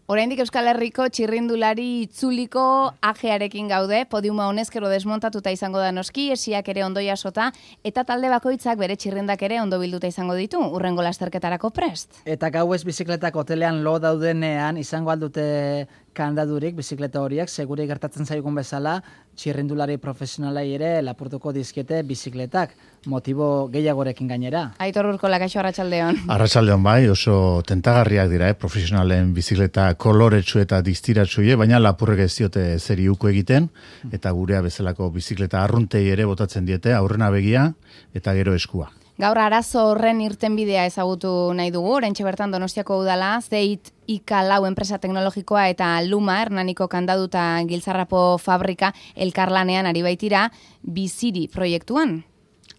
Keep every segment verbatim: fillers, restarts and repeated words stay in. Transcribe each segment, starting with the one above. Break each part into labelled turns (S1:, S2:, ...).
S1: Oraindik Euskal Herriko txirrindulari itzuliko ajearekin gaude, podiuma honezkero desmontatuta izango da noski, esiak ere ondo jasota, eta talde bakoitzak bere txirrindak ere ondo bilduta izango ditu, urrengo lasterketarako prest.
S2: Eta gauez bizikletak hotelean lo daudenean izango aldute kandadurik bizikleta horiek, segure gertatzen zaigun bezala, txirrindulari profesionalai ere lapurtuko dizkiete bizikletak, motibo gehiagorekin gainera.
S1: Aitor Urkola, kaixo arratsaldeon.
S3: Arratsaldeon bai, oso tentagarriak dira, eh? Profesionalen bizikleta koloretsu eta distiratsuie, baina lapurrek ez diote zeri uko egiten, eta gurea bezalako bizikleta arruntei ere botatzen diete, aurrena begia eta gero eskua.
S1: Gaur arazo horren irtenbidea ezagutu nahi dugu, oraintxe bertan Donostiako udala, Zeit Ika lau enpresa teknologikoa eta Luma, Hernaniko kandaduta giltzarrapo fabrika elkarlanean ari baitira biziri proiektuan.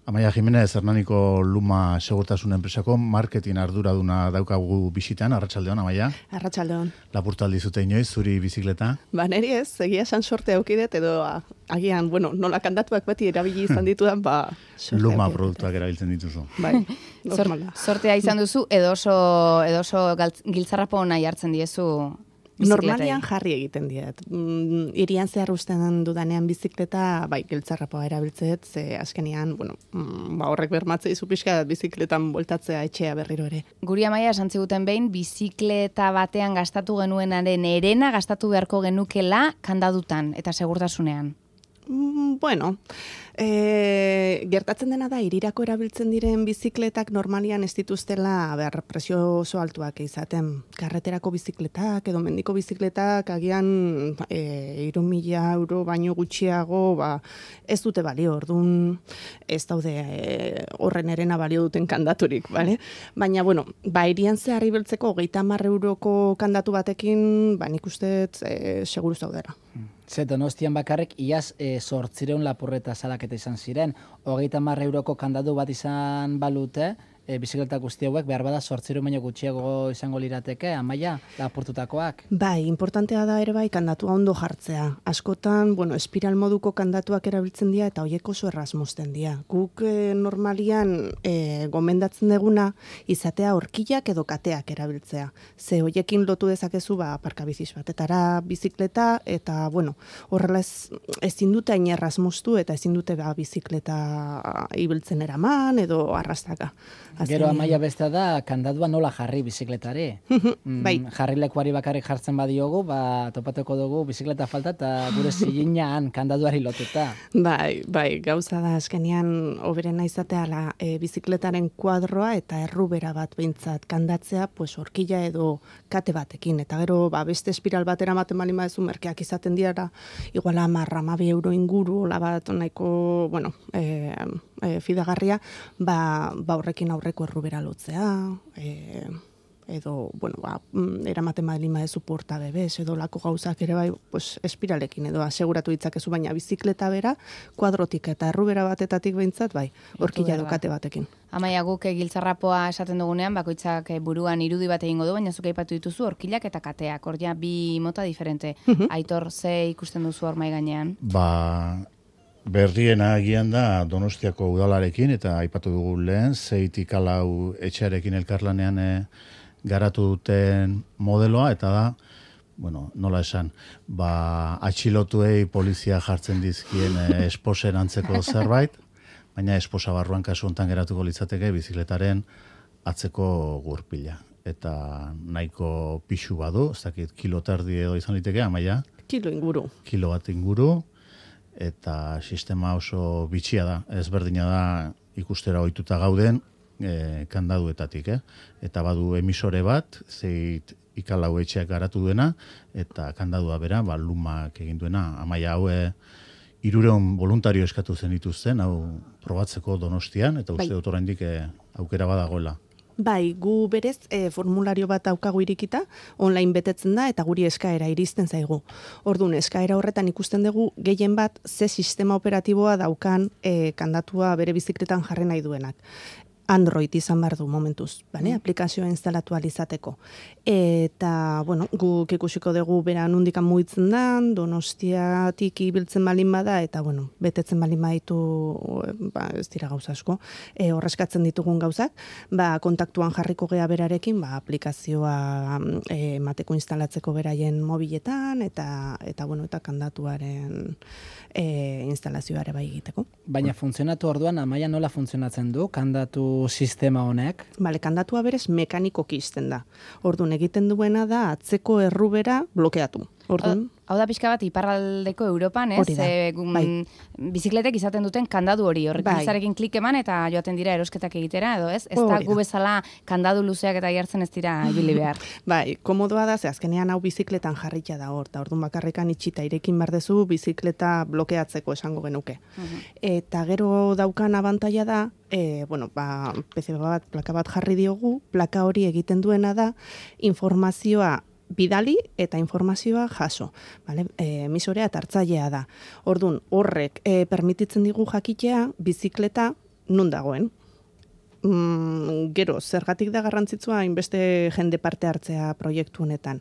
S3: Amaia Jimenez, Hernaniko Luma segurtasun enpresako marketing arduraduna daukagu bisitan, arratsaldeon, Amaia.
S4: Arratsaldeon.
S3: Lapurtaldi zute inoiz, zuri bizikleta?
S4: Ba, neri ez, egia esan sorte aukidet, edo a, agian, bueno, nola kandatuak beti erabili izan ditudan, ba...
S3: Luma produktuak erabiltzen dituzu.
S4: Bai, normala.
S1: Sortea izan duzu, edo oso, edo oso giltzarrapo nahi hartzen diezu...
S4: Normalian jarri egiten diet. Mm, irian zehar usten dudanean bizikleta, bai, giltzarrapoa erabiltzeet, ze askenean, bueno, mm, ba, horrek bermatzea izu pixka bizikletan boltatzea etxea berriro ere.
S1: Guri Amaia esan ziguten behin, bizikleta batean gastatu genuenaren erena gastatu beharko genukela kandadutan eta segurtasunean.
S4: Mm, bueno, e, gertatzen dena da, irirako erabiltzen diren bizikletak normalian ez dituztela behar presio oso altuak izaten. Karreterako bizikletak edo mendiko bizikletak agian e, hiru mila euro baino gutxiago ba, ez dute balio, orduan ez daude e, horren erena balio duten kandaturik, bale? Baina, bueno, ba, irian zehar ibiltzeko hogeita hamar euroko kandatu batekin, ba, nik uste e, seguru zaudera.
S2: Ze Donostian bakarrik iaz e, zortzireun lapurreta salaketa izan ziren. Hogeita hamar euroko kandadu bat izan balute, e, bizikleta guzti hauek behar bada zortzireun baino gutxiago izango lirateke, Amaia, lapurtutakoak.
S4: Bai, importantea da ere bai kandatua ondo jartzea. Askotan, bueno, espiral moduko kandatuak erabiltzen dira eta hoiek oso erraz mozten dira. Guk e, normalian e, gomendatzen deguna izatea horkilak edo kateak erabiltzea. Ze hoiekin lotu dezakezu ba aparkabiziz batetara bizikleta eta bueno, horrela ez ezin dute hain erraz moztu eta ezin dute ba bizikleta ibiltzen eraman edo arrastaka.
S2: Gero Amaia bestea da, kandadua nola jarri bizikletari. mm,
S4: bai.
S2: Jarrilekuari bakarrik jartzen badiogu, ba, topatuko dugu bizikleta falta eta gure ziginan kandaduari lotuta.
S4: Bai, bai, gauza da azkenean hoberena izatea la, e, bizikletaren kuadroa eta errubera bat behintzat kandatzea, pues horkila edo kate batekin. Eta gero ba, beste espiral batera ematen bali maezu merkeak izaten dira, igual hamar, hamabi euro inguru, hola bat nahiko, bueno, e, e, fidagarria, ba, ba horrekin aurreko errubera lotzea, e, edo, bueno, ba, eramaten bali maezu porta bebes, edo lako gauzak ere bai, pues, espiralekin edo aseguratu ditzakezu, baina bizikleta bera, kuadrotik eta errubera batetatik behintzat, bai, horkila edo kate batekin.
S1: Amaia, guk giltzarrapoa esaten dugunean, bakoitzak buruan irudi bat egingo du, baina zuk aipatu dituzu horkilak eta kateak, hor ja bi mota diferente. Aitor, ze ikusten duzu hor mai gainean?
S3: Ba, berriena agian da Donostiako udalarekin, eta aipatu dugu lehen, Zeit Ika lau etxearekin elkarlanean e, garatu duten modeloa, eta da, bueno, nola esan, ba, atxilotuei polizia jartzen dizkien e, esposen antzeko zerbait, baina esposa barruan kasu hontan geratuko litzateke bizikletaren atzeko gurpila. Eta nahiko pixu badu, ez dakit kilo terdi edo izan liteke, Amaia?
S4: Kilo inguru.
S3: Kilo bat inguru, eta sistema oso bitxia da, ezberdina da ikustera ohituta gauden e, kandaduetatik, eh? Eta badu emisore bat, Zeit Ika lau etxeak garatu duena, eta kandadua bera, ba, Lumak egin duena. Amaia hau e, hirureun voluntario eskatu zen dituzten, hau probatzeko Donostian, eta uste dut oraindik e, aukera badagoela.
S4: Bai, gu berez e, formulario bat daukagu irikita, online betetzen da eta guri eskaera iristen zaigu. Orduan, eskaera horretan ikusten dugu gehien bat ze sistema operatiboa daukan e, kandatua bere bizikletan jarri nahi duenak. Android izan behar du momentuz, bale? Aplikazioa instalatu alizateko. Eta, bueno, guk ikusiko dugu bera nundikan mugitzen da, Donostiatik ibiltzen balin bada, eta, bueno, betetzen balin baditu, ba, ez dira gauza asko, e, horreskatzen ditugun gauzak, ba, kontaktuan jarriko gea berarekin, ba, aplikazioa e, mateko instalatzeko beraien mobiletan, eta, eta bueno, eta kandatuaren e, instalazioare bai egiteko.
S2: Baina funtzionatu orduan, Amaia nola funtzionatzen du, kandatu sistema honek?
S4: Bale, kandatua berez mekanikoki izten da. Orduan egiten duena da atzeko errubera blokeatu. Orduan,
S1: hau da pixka bat iparraldeko Europan, ez?
S4: Hori da,
S1: E,
S4: bai.
S1: Bizikletek izaten duten kandadu hori, horrek
S4: Bai.
S1: bizarekin klik eman eta joaten dira erosketak egitera, edo ez? Ez da
S4: Hori da.
S1: gu bezala kandadu luzeak eta jartzen ez dira ibili behar.
S4: bai, komodoa da, ze azkenean hau bizikletan jarritia da hor, eta orduan bakarrikan itxita irekin bardezu bizikleta blokeatzeko esango genuke. Eta gero daukan abantaila da, e, bueno, ba, P C B bat, plaka bat jarri diogu, plaka hori egiten duena da, informazioa bidali eta informazioa jaso. Vale? E, emisorea eta hartzailea da. Orduan, horrek e, permititzen digu jakitea bizikleta nun dagoen. Mm, gero, zergatik da garrantzitsua hainbeste jende parte hartzea proiektu honetan.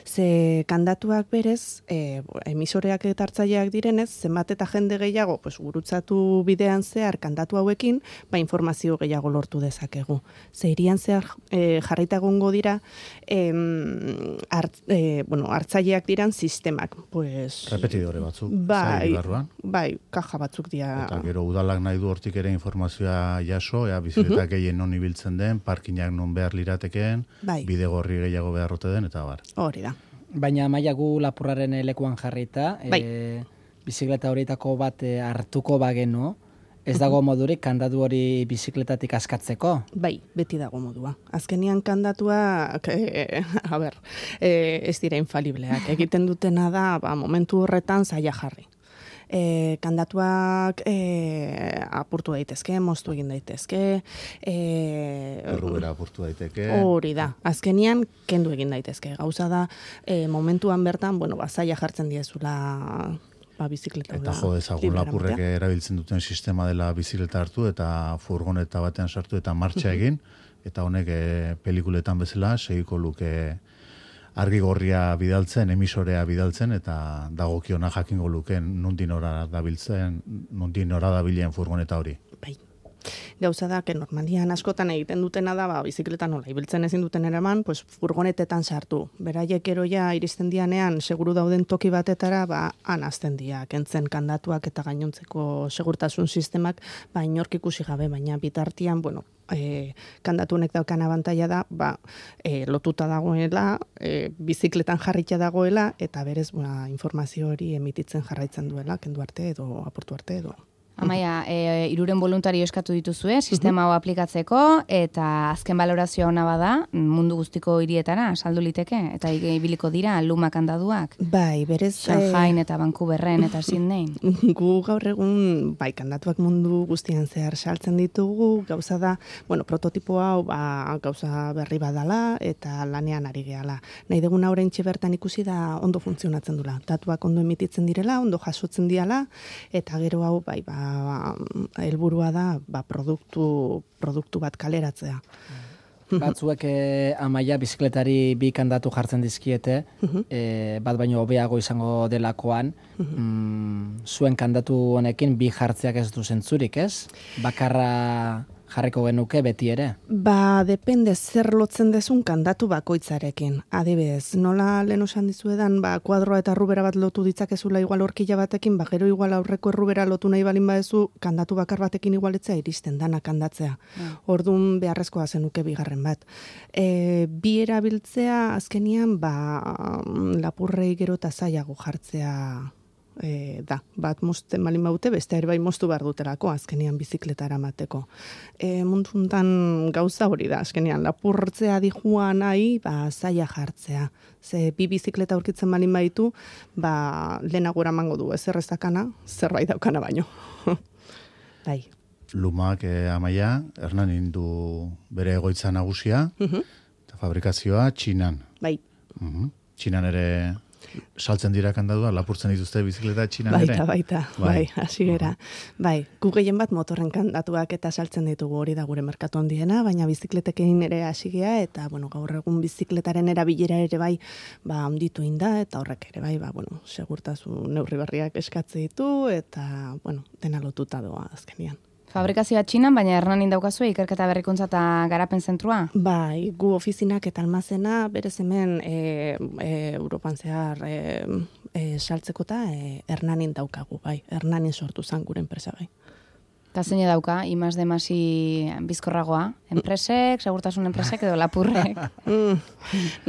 S4: Ze kandatuak berez, e, emisoreak eta hartzaileak direnez, zenbat eta jende gehiago, pues, gurutzatu bidean zehar kandatu hauekin, ba, informazio gehiago lortu dezakegu. Ze irian zehar e, jarrita egongo dira, em, hart, e, bueno, hartzaileak diran sistemak. Pues,
S3: Repetidore batzuk.
S4: bai,
S3: zail barruan.
S4: bai, kaja batzuk dira.
S3: Eta gero udalak nahi du hortik ere informazioa jaso, ea bizikletak gehien non ibiltzen den, parkinak non behar liratekeen,
S4: Bai.
S3: bide gorri gehiago beharrote den, eta bar.
S4: Hori da.
S2: Baina Amaia gu lapurraren lekuan jarrita,
S4: Bai.
S2: e, bizikleta horietako bat e, hartuko bagenu, ez dago modurik kandadu hori bizikletatik askatzeko?
S4: Bai, beti dago modua. Azkenian kandatuak, e, a ber, e, ez dira infalibleak. Egiten dutena da, ba, momentu horretan zaila jarri. E, kandatuak e, apurtu daitezke, moztu egin daitezke. E,
S3: Errubera apurtu daiteke.
S4: Hori da. Azkenian kendu egin daitezke. Gauza da, e, momentuan bertan, bueno, ba, zaila jartzen diezula ba, bizikleta.
S3: Eta jo dezagun lapurrek erabiltzen duten sistema dela bizikleta hartu eta furgoneta batean sartu eta martxa egin, eta honek e, pelikuletan bezala segiko luke argi gorria bidaltzen, emisorea bidaltzen, eta dagokiona jakingo luken nundin ora dabiltzen, nundin ora dabilen furgoneta hori.
S4: Bai. Gauza da, que normalian askotan egiten dutena da, ba, bizikleta nola ibiltzen ezin duten eraman, pues, furgonetetan sartu. Beraiek ero ja iristen dianean, seguru dauden toki batetara, ba, han azten dia, kentzen kandatuak eta gainontzeko segurtasun sistemak, ba, inork ikusi gabe, baina bitartian, bueno, e, kandatu honek daukan abantaila da, ba, e, lotuta dagoela, e, bizikletan jarritia dagoela, eta berez, ba, informazio hori emititzen jarraitzen duela, kendu arte edo aportu arte edo.
S1: Amaia, e, iruren voluntario eskatu dituzue, sistema hau aplikatzeko, eta azken balorazioa ona bada, mundu guztiko hirietara saldu liteke, eta ibiliko dira luma kandaduak.
S4: Bai, berez...
S1: Shanghai eta Vancouverren eta Sydneyn.
S4: Gu gaur egun, bai, kandatuak mundu guztian zehar saltzen ditugu, gauza da, bueno, prototipo hau, ba, gauza berri badala, eta lanean ari gehala. Nahi deguna oraintxe bertan ikusi da ondo funtzionatzen dula. Datuak ondo emititzen direla, ondo jasotzen diala, eta gero hau, bai, ba, helburua da, ba, produktu, produktu bat kaleratzea.
S2: Batzuek e, Amaia bizikletari bi kandatu jartzen dizkiete, e, bat baino hobeago izango delakoan, mm, zuen kandatu honekin bi jartzeak ez du zentzurik, ez? Bakarra jarriko genuke beti ere?
S4: Ba, depende zer lotzen dezun kandatu bakoitzarekin. Adibidez, nola lehen osan dizuedan, ba, kuadroa eta errubera bat lotu ditzakezula igual horkila batekin, ba, gero igual aurreko errubera lotu nahi balin badezu, kandatu bakar batekin igualetzea iristen dana kandatzea. Orduan beharrezkoa zenuke bigarren bat. E, bi erabiltzea azkenian, ba, lapurrei gero eta zailago jartzea E, da, bat mozten balin baute, beste ere bai moztu behar dutelako, azkenian bizikletara mateko. E, muntuntan gauza hori da, azkenian lapurtzea dijuan nahi, ba, zaila jartzea. Ze bi bizikleta aurkitzen balin baitu, ba, lehenago eramango du, ez errezakana, zerbait daukana baino. Bai.
S3: Lumak eh, Amaia, Hernan indu bere egoitza nagusia, eta fabrikazioa Txinan.
S4: Bai.
S3: Mhm. Txinan ere saltzen dira kandadua, lapurtzen dituzte bizikleta txinan ere?
S4: Baita, baita, bai, hasi gera. Bai, gu gehien bat motorren kandatuak eta saltzen ditugu, hori da gure merkatu handiena, baina bizikletekin ere hasi gea, eta, bueno, gaur egun bizikletaren erabilera ere bai, ba, handitu inda, eta horrek ere bai, ba, bueno, segurtasun neurri berriak eskatze ditu, eta, bueno, dena lotuta doa azkenian.
S1: Fabrikazioa txinan, baina Hernanin daukazue ikerketa berrikuntza eta garapen zentrua?
S4: Bai, gu ofizinak eta almazena berez hemen e, e, Europan zehar e, e, saltzeko eta e, Hernanin daukagu, bai. Hernanin sortu zen gure enpresa, bai.
S1: Eta zein dauka, imaz de masi bizkorragoa? Enpresek, segurtasun enpresek edo lapurrek?
S4: mm,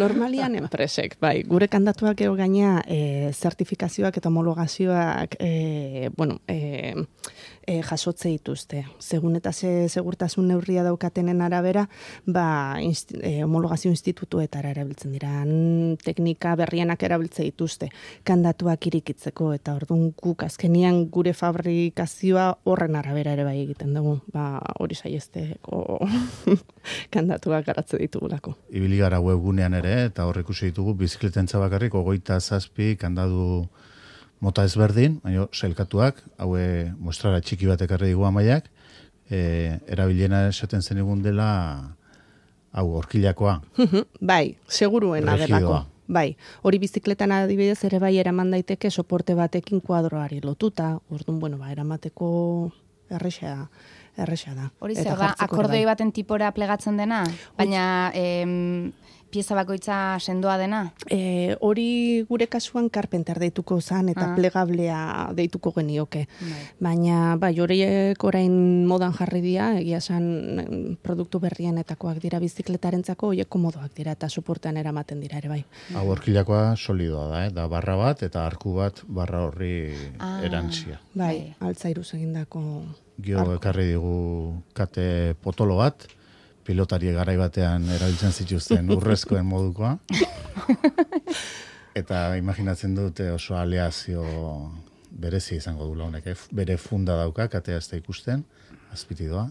S4: normalian enpresek, bai. Gure kandatuak ego gaina e, zertifikazioak eta homologazioak e, bueno, e, e, jasotze dituzte. Segun eta ze segurtasun neurria daukatenen arabera, ba, insti, e, homologazio institutuetara erabiltzen dira. Teknika berrienak erabiltze dituzte. Kandatuak irikitzeko eta orduan guk azkenian gure fabrikazioa horren arabera ere bai egiten dugu. Ba, hori saiesteko kandatuak garatze ditugulako.
S3: Ibili gara webgunean ere, eta hor ikusi ditugu bizikletentza bakarrik hogeita zazpi kandadu mota ezberdin, baina sailkatuak, haue mostrara txiki bat ekarri digu amaiak, e, erabiliena esaten zen egun dela hau horkilakoa.
S4: Bai, seguruena delako. Bai, hori bizikletan adibidez ere bai eraman daiteke soporte batekin kuadroari lotuta, orduan, bueno, ba, eramateko erresa erresa da.
S1: Hori zer da, akordoi baten tipora plegatzen dena, baina em, pieza bakoitza sendoa dena?
S4: E, hori gure kasuan Carpenter deituko zan eta ah. plegablea deituko genioke. Bai. Baina, bai, horiek orain modan jarri dira, egia esan produktu berrienetakoak dira bizikletarenzako, horiek komodoak dira eta soportean eramaten dira ere bai.
S3: Hau horkilakoa solidoa da, eh? Da barra bat eta arku bat barra horri ah. erantzia.
S4: Bai, altzairuz egindako
S3: Gio ekarri digu kate potolo bat, pilotari garai batean erabiltzen zituzten urrezkoen modukoa. Eta imaginatzen dute oso aleazio berezi izango dula honek. Eh? Bere funda dauka, katea ez da ikusten, azpiti doa.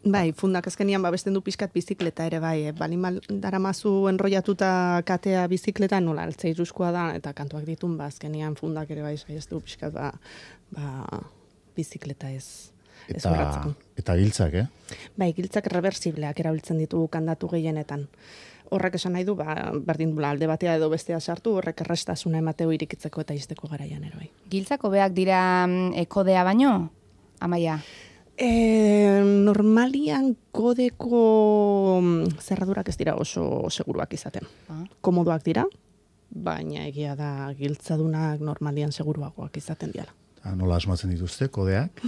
S4: Bai, fundak azkenian babesten du pizkat bizikleta ere bai. Eh? Bali daramazu enrollatuta katea bizikleta nola altzairuzkoa da, eta kantuak ditun, ba, azkenian fundak ere bai saiestu pizkat ba, ba, bizikleta ez.
S3: Eta, eta giltzak, eh?
S4: Bai, giltzak reversibleak erabiltzen ditugu kandatu gehienetan. Horrek esan nahi du, ba, berdin dula alde batea edo bestea sartu, horrek errestasuna emateu irikitzeko eta izteko garaian ere bai.
S1: Giltzak hobeak dira e, kodea baino, Amaia?
S4: E, normalian kodeko zerradurak ez dira oso seguruak izaten. Ah. Komodoak dira, baina egia da giltzadunak normalian seguruagoak izaten diala.
S3: Nola asmatzen dituzte, kodeak?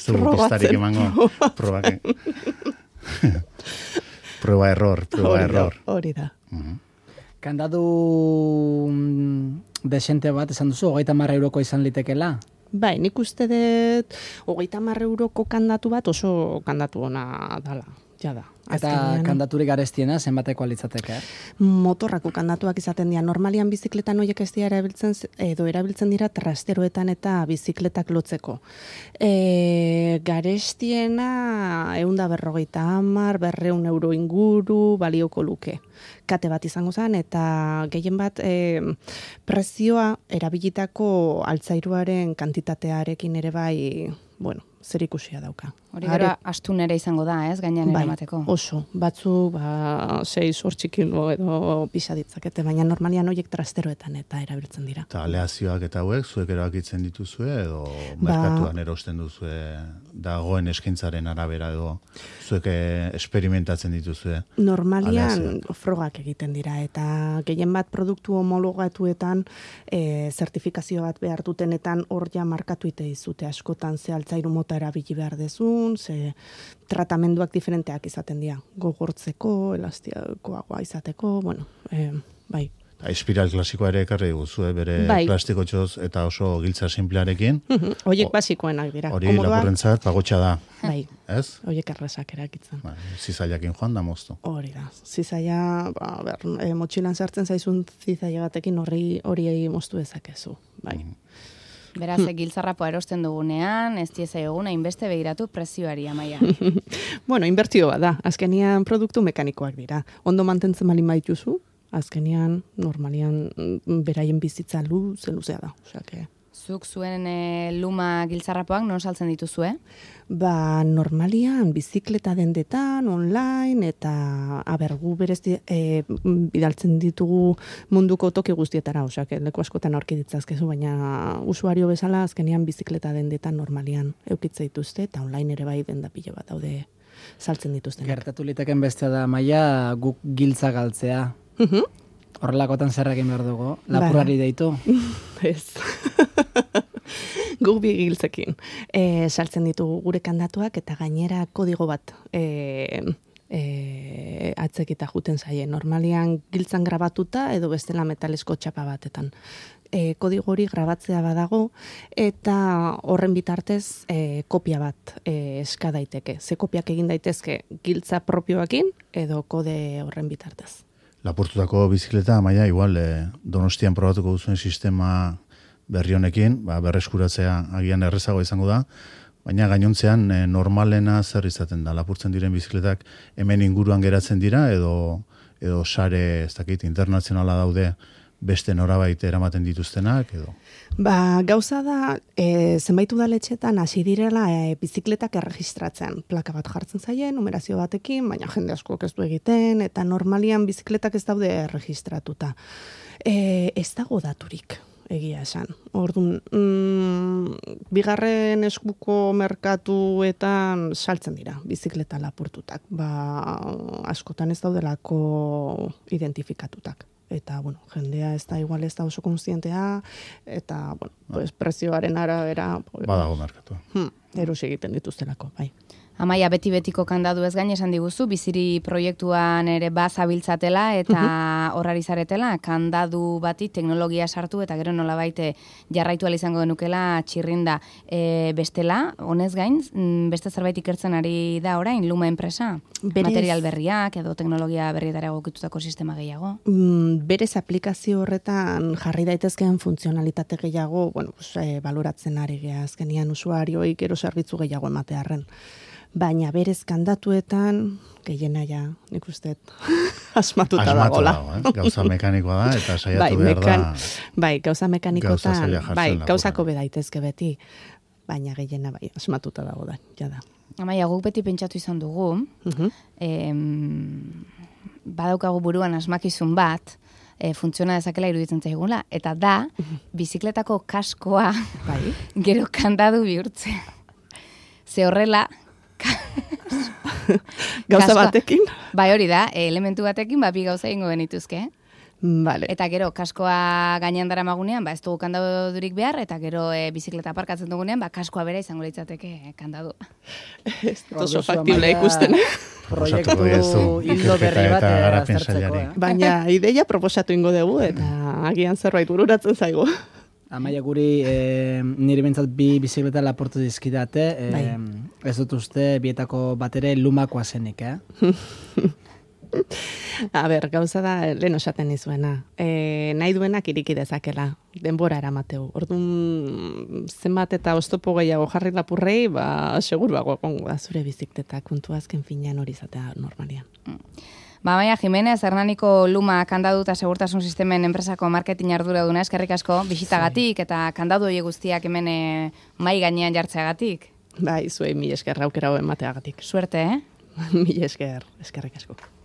S3: Zugu pistarik emango probak. Proba error, proba error.
S4: Hori da.
S2: Uh-huh. Kandadu desente bat, esan duzu, hogeita marra euroko izan litekela?
S4: Bai, nik uste dut, hogeita marra euroko kandatu bat oso kandatu ona dala. Ja da.
S2: Eta kandaturik garestiena, zenbateko alitzateke?
S4: Motorrako kandatuak izaten dira. Normalian bizikletan horiek ez dira erabiltzen, edo erabiltzen dira trasteroetan eta bizikletak lotzeko. E, garestiena, eunda berrogeita hamar, berreun euro inguru, balioko luke. Kate bat izango zen, eta gehien bat e, prezioa erabilitako altzairuaren kantitatearekin ere bai, bueno, zer ikusia dauka.
S1: Hori gara astun ere izango da, ez, gainean
S4: bai,
S1: eramateko.
S4: Oso, batzu, ba, sei zortzi kilo edo pisa ditzakete, baina normalian horiek trasteroetan eta erabiltzen dira.
S3: Eta aleazioak eta hauek, zuek erabakitzen dituzue, edo merkatuan ba, erosten duzue, dagoen eskintzaren arabera, edo zuek esperimentatzen dituzue?
S4: Normalian
S3: aleazioak.
S4: Frogak egiten dira, eta gehien bat produktu homologatuetan, e, zertifikazio bat behar dutenetan hor ja markatu ite izute askotan, ze altzairu mota erabili behar dezun, ze tratamenduak diferenteak izaten dira. Gogortzeko, elastiakoagoa izateko, bueno, e, bai.
S3: Espiral klasikoa ere ekarri guzue, bere bai. Plastikotxoz eta oso giltza simplearekin.
S4: Horiek basikoenak dira.
S3: Hori lapurrentzat pagotxa da.
S4: Bai,
S3: ez?
S4: Horiek errazak erakitzen.
S3: Ba, zizailakin joan da moztu.
S4: Hori da. Zizaila, ba, ber, e, motxilan sartzen zaizun zizaila batekin hori hori moztu dezakezu. Bai. Mm.
S1: Beraz, hmm. giltzarrapoa erosten dugunean, ez dieza eguna, inbeste begiratu prezioari, Amaia.
S4: Bueno, inbertioa da. Azkenian produktu mekanikoak dira. Ondo mantentzen malin baituzu, azkenean, normalian, beraien bizitza luze, luzea da. Osea, que...
S1: Zuk zuen e, luma giltzarrapoak non saltzen dituzue?
S4: Ba, normalian, bizikleta dendetan, online, eta abergu berez e, bidaltzen ditugu munduko toki guztietara, osea, que leku askotan aurki ditzazkezu, baina usuario bezala azkenean bizikleta dendetan normalian eukitze dituzte, eta online ere bai denda pilo bat daude saltzen dituztenak.
S2: Gertatu liteken bestea da, Maia, guk giltza galtzea. Horrelakotan zer egin behar dugu? Lapurrari deitu?
S4: Ez. Guk bi giltzekin. E, saltzen ditugu gure kandatuak eta gainera kodigo bat e, e, atzekita juten zaie. Normalian giltzan grabatuta edo bestela metalesko txapa batetan. E, kodigo hori grabatzea badago eta horren bitartez e, kopia bat e, eska daiteke. Ze kopiak egin daitezke giltza propioakin edo kode horren bitartez.
S3: Lapurtutako bizikleta, Maia, igual, eh, Donostian probatuko duzuen sistema berri honekin, ba, berreskuratzea agian errezago izango da, baina gainontzean eh, normalena zer izaten da. Lapurtzen diren bizikletak hemen inguruan geratzen dira, edo, edo sare, ez dakit, internazionala daude beste norabait eramaten dituztenak, edo?
S4: Ba, gauza da, e, zenbait udaletxetan hasi direla e, bizikletak erregistratzen. Plaka bat jartzen zaie, numerazio batekin, baina jende asko ez du egiten, eta normalian bizikletak ez daude erregistratuta. E, ez dago daturik, egia esan. Orduan, mm, bigarren eskuko merkatuetan saltzen dira bizikleta lapurtutak. Ba, askotan ez daudelako identifikatutak. Eta, bueno, jendea ez da igual ez da oso konstientea, eta, bueno, pues, prezioaren arabera...
S3: Badago merkatu.
S4: Hmm, erosi egiten dituztelako, bai.
S1: Amaia, beti-betiko kandadu ez gain esan diguzu, biziri proiektuan ere bazabiltzatela eta horrari zaretela, kandadu bati teknologia sartu eta gero nolabait jarraitu ahal izango denukela txirrinda. E, bestela, honez gain, beste zerbait ikertzen ari da orain, Luma enpresa? Berez, material berriak edo teknologia berrietara egokitutako sistema gehiago?
S4: Mm, berez aplikazio horretan jarri daitezkeen funtzionalitate gehiago, bueno, pues, e, baloratzen ari gea azkenian usuarioi gero zerbitzu gehiago ematearren. Baina berez kandatuetan, gehiena ja, nik uste, asmatuta dagoela.
S3: Dago, eh? Gauza mekanikoa da, eta saiatu
S4: bai,
S3: behar
S4: mekan,
S3: da...
S4: Bai, gauza mekanikotan,
S3: gauza
S4: bai, gauzako bedaitezke beti, baina gehiena bai, asmatuta dago da, jada.
S1: Amaia, guk beti pentsatu izan dugu, uh-huh. em, badaukagu buruan asmakizun bat, e, funtziona dezakela iruditzen zaigula, eta da, bizikletako kaskoa bai. Gero kandadu bihurtzea. Ze horrela,
S4: gauza batekin?
S1: Bai, hori da, elementu batekin, ba, bi gauza ingo benituzke.
S4: Vale.
S1: Eta gero, kaskoa gainean dara magunean, ba, ez dugu kandadurik behar, eta gero e, bizikleta aparkatzen dugunean, ba, kaskoa bera izango litzateke kandadu.
S4: Ez oso faktible ikusten.
S2: Proiektu hildo berri bat aztertzeko. Eh?
S4: Baina ideia proposatu ingo dugu, eta agian zerbait bururatzen zaigu.
S2: Amaia, guri e, nire bintzat bi bizikleta laportu dizkidate, e, bai. Ez dut uste bietako batere lumakoa zenik, eh?
S4: A ber, gauza da, lehen osaten izuena. E, nahi duenak iriki dezakela, denbora eramateu. Orduan, zenbat eta oztopo gehiago jarri lapurrei, ba, seguruago egongo da zure bizikleta, kontu azken finean hori izatea normalian.
S1: Ba, Amaia Jimenez, Hernaniko Luma kandadu eta segurtasun sistemen enpresako marketing arduraduna, eskerrik asko, bisitagatik eta kandadu hori guztiak hemen e, mai gainean jartzeagatik.
S4: Bai, zuei mil esker aukera hoben mateagatik.
S1: Suerte, eh?
S4: Mil esker, eskerrik asko.